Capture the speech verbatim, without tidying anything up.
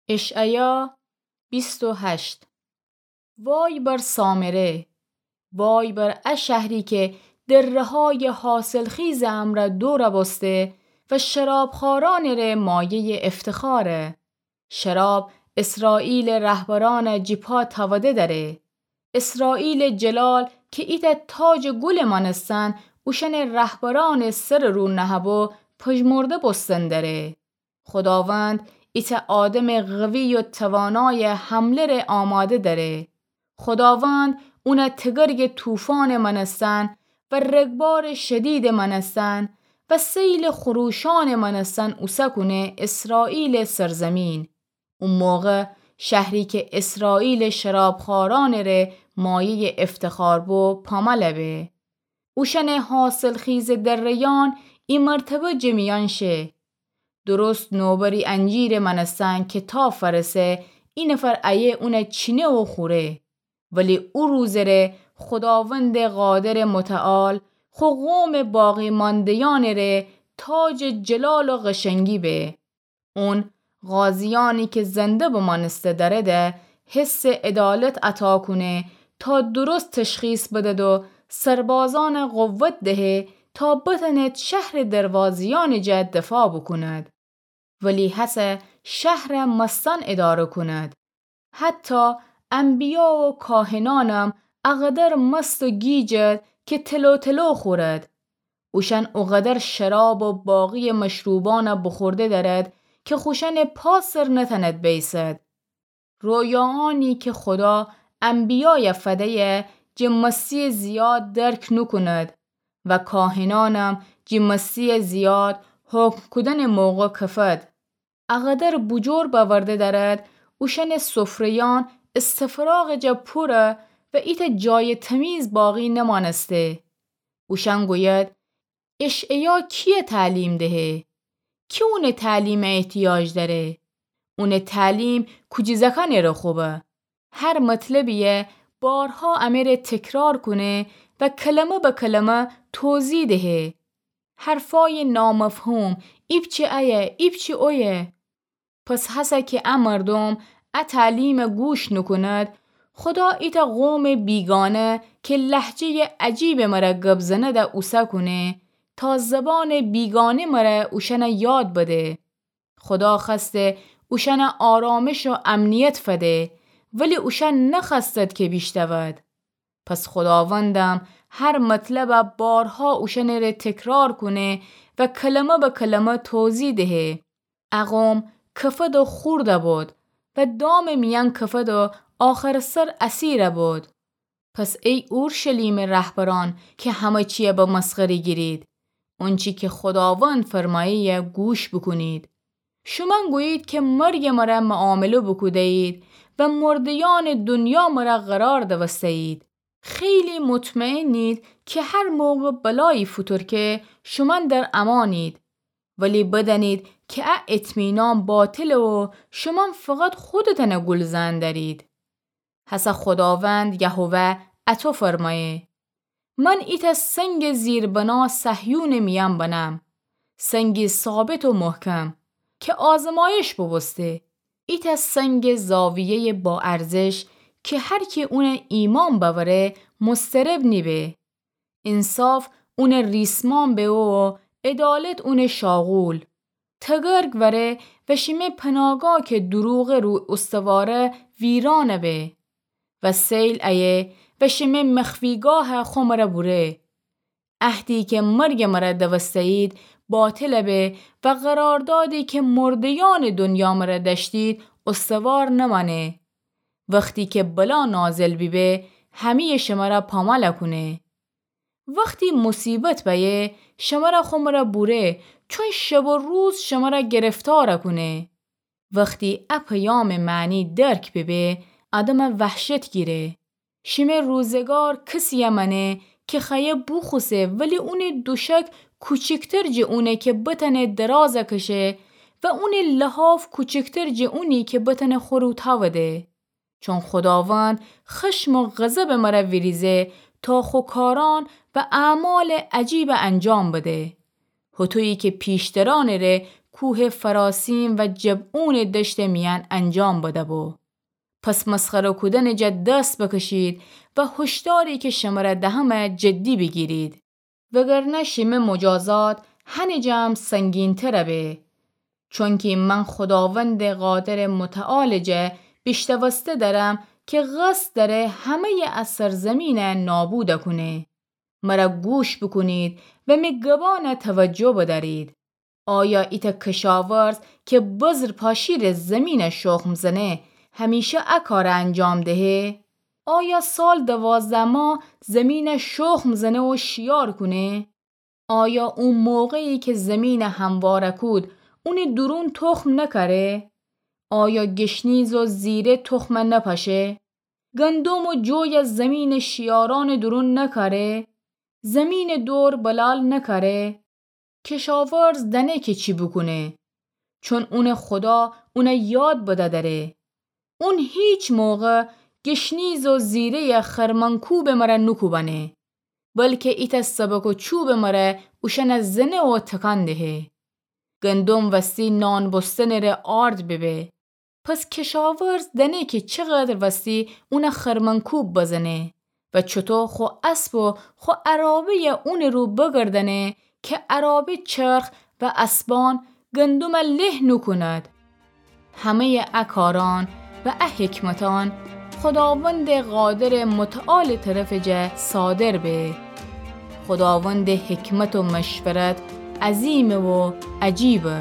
اشعیا بیست و هشت. وای بر سامره! وای بر ا شهری که دره‌های حاصلخیزٚ امرأ دورَ بوسته و شرابخوأرأنٚ ره مایه‌یٚ افتخاره. شراب اسرائیلٚ رهبرأنَ جی پا تأوده دأره. اسرائیلٚ جلال که ایتأ تاجٚ گلٚ مأنستن اوشأنٚ رهبرأنٚ سرٚ رو نهه‌بو، پژمرده بوستن دأره. خوداوند ایتأ آدمٚ قوی و توانایٚ حمله ره آماده دأره. خوداوند اونَ تگرگٚ طوفانٚ مأنستن و رگبارٚ شدیدٚ مأنستن و سیلٚ خروشأنٚ مأنستن اوسه کونه اسرائیلٚ سرزمین. او موقع شهری که اسرائیلٚ شرابخوأرأنٚ ره مایه‌یٚ افتخار بو، پامألَ به. اوشأنٚ حاصلخیزٚ دره‌یأن ای مرتبه جٚه میأن شه. درست نوبری انجیرٚ مأنستن که تا فأرسه، ای نفر ایه اونَ چینه و خوره. ولی او روزٚ ره خوداوندٚ قادرٚ متعال خو قومٚ باقی‌مانده‌یأنٚ ره تاجٚ جلال و قشنگی به. اون قاضیأنی که زنده بمأنسته دأرده حسٚ عدالت عطا کونه تا درست تشخیص بدد و سربازأنَ قوت دهه تا بتأنید شهرٚ دروازه‌یأنٚ جا دفاع بوکونید. ولی هسه شهرَ مستأن اداره کونید. حتی انبیا و کاهنأنم اقدر مست و گیجد که تلوتلو خورد. اوشأن اوقدر شراب و باقیٚ مشروبأنَ بوخورده دأرد که خوشأنٚ پا سر نتأند بیسد. رویاأنی که خودا انبیایَ فده‌یه جٚه مسیٚ زیاد درک نوکوند و کاهنأنم جٚه مسیٚ زیاد حکم کودنٚ موقع کفد. اقدر بوجور بأورده دأرد، اوشأنٚ سفره‌یأن استفراغٚ جا پوره و ایتأ جایٚ تمیز باقی نمأنسته. اوشأن گوید: اشعیا کیَ تعلیم دهه؟ کی اونٚ تعلیمَ احتیاج دأره؟ اونٚ تعلیم کوجی زأکأنٚ ره خوبه. هر مطلبیَ بارها امه ره تکرار کونه و کلمه به کلمه توضیح دهه. حرفأیٚ نامفهوم، ایپچه ایه، ایپچه اویه. پس هسه که ا مردوم ا تعلیمَ گوش نوکوند، خودا ایتأ قومٚ بیگانه که لهجه‌یٚ عجیبٚ مره گب زنده اوسه کونه، تا زبانٚ بیگانه مره اوشأنَ یاد بده. خودا خوأسته اوشأنَ آرامش و امنیت فده، ولی اوشأن نخوأستد که بیشتود. پس خوداوندم هر مطلبَ بارها اوشأنٚ ره تکرار کونه و کلمه به کلمه توضیح دهه. ا قوم کفد و خورد بود و دامٚ میأن کفد و آخرٚ سر اسیر بود. پس ای اورشلیمٚ رهبرأن که همه چیَ به مسخره گیرید، اونچی که خوداوند فرمایه‌یه گوش بوکونید. شومأن گویید که مرگٚ مره معامله بوکوده‌یید و مرده‌یأنٚ دونیا مره قرار دوسته‌یید. خیلی مطمئنید که هر موقع بلایی فوتورکه شومأن در امانید، ولی بدأنید که ا اطمینان باطله و شومأن فقط خودتأنَ گول زئن دأرید. هسه خوداوند یهوه اطو فرمایه: من ایتأ سنگٚ زیربنا صهیونٚ میأن بنم، سنگی ثابت و محکم که آزمایش بوبوسته. ایتأ سنگٚ زاویه‌یٚ با ارزش که هر کی اونَ ایمأن بأوره مضطرب نیبه. انصاف اونٚ ریسمأن به و عدالت اونٚ شاغول. تگرگ وأره و شیمه پناگاه که دروغٚ رو استواره ویرأن به و سیل ایه و شیمه مخفیگاه خو مره بوره. عهدی که مرگٚ مره دوسته‌یید باطل به و قراردادی که مرده‌یأنٚ دونیا مره دأشتید استوار نمأنه. وختی که بلا نازل بیبه، همه‌یٚ شمره پامال کونه. وختی مصیبت بأیه، شمره خو مره بوره، چون شب و روز شمره گرفتار کونه. وختی ا پیامٚ معنی درک بیبه، آدم وحشت گیره. شیمه روزگار کسی‌یه مأنه که خوأیه بوخوسه، ولی اونٚ دوشک کوچیکتر جٚه اونه که بتأنه دراز کشه و اونٚ لحاف کوچیکتر جٚه اونی که بتأنه خو رو تاوده. چون خوداوند خشم و غضبٚ مره ویریزه تا خو کارأن و اعمالٚ عجیب انجام بده. هطویی که پیشترأنٚ ره کوه فراسیم و جبعونٚ دشتٚ میأن انجام بده‌بو. پس مسخره کودنٚ جا دست بکشید و هشداری که شمره دهمه جدی بیگیرید. وگرنه شیمه مجازات هنٚ جا هم سنگین‌تره به. چونکی من خوداوندٚ قادرٚ متعالٚ جا بیشتوسته درم که قصد دره همه‌یٚ ا سرزمینه نابود کونه. مره گوش بوکونید و می گبانه توجه بدأرید. آیا ایتأ کشاورز که بذر پاشیره زمینه شخم زنه، همیشه ا کاره انجام دهه؟ آیا سال دوازده ماه زمینه شخم زنه و شیار کونه؟ آیا او موقعی که زمینه همواره کود، اونٚ دورون تخم نکاره؟ آیا گشنیز و زیره تخمه نپاشه؟ گندم و جوی زمینه شیارانٚ دورون نکاره؟ زمینه دور بلال نکاره؟ کشاورز دأنه که چی بوکونه، چون اونٚ خودا اونه یاد بدأ دره. اون هیچ موقع گشنیز و زیره‌یٚ خرمن‌کوبٚ مره نوکوبأنه، بلکه ایتأ سبک و چوبٚ مره اوشأنه زنه و تکان دهه. گندم وستی نان بوستنٚ ره آرد ببه. پس کشاورز دأنه که چقدر وستی اونه خرمن‌کوب بزنه و چوطو خو اسب و خو عرابه‌یه اونٚ رو بگردأنه که عرابه چرخ و اسبان گندمه له نوکوند. همه‌یٚ ا کاران و ا حکمتان خوداوندٚ قادرٚ متعالٚ طرفٚ جا صادر به. خوداوندٚ حکمت و مشورت عظیمه و عجیبه.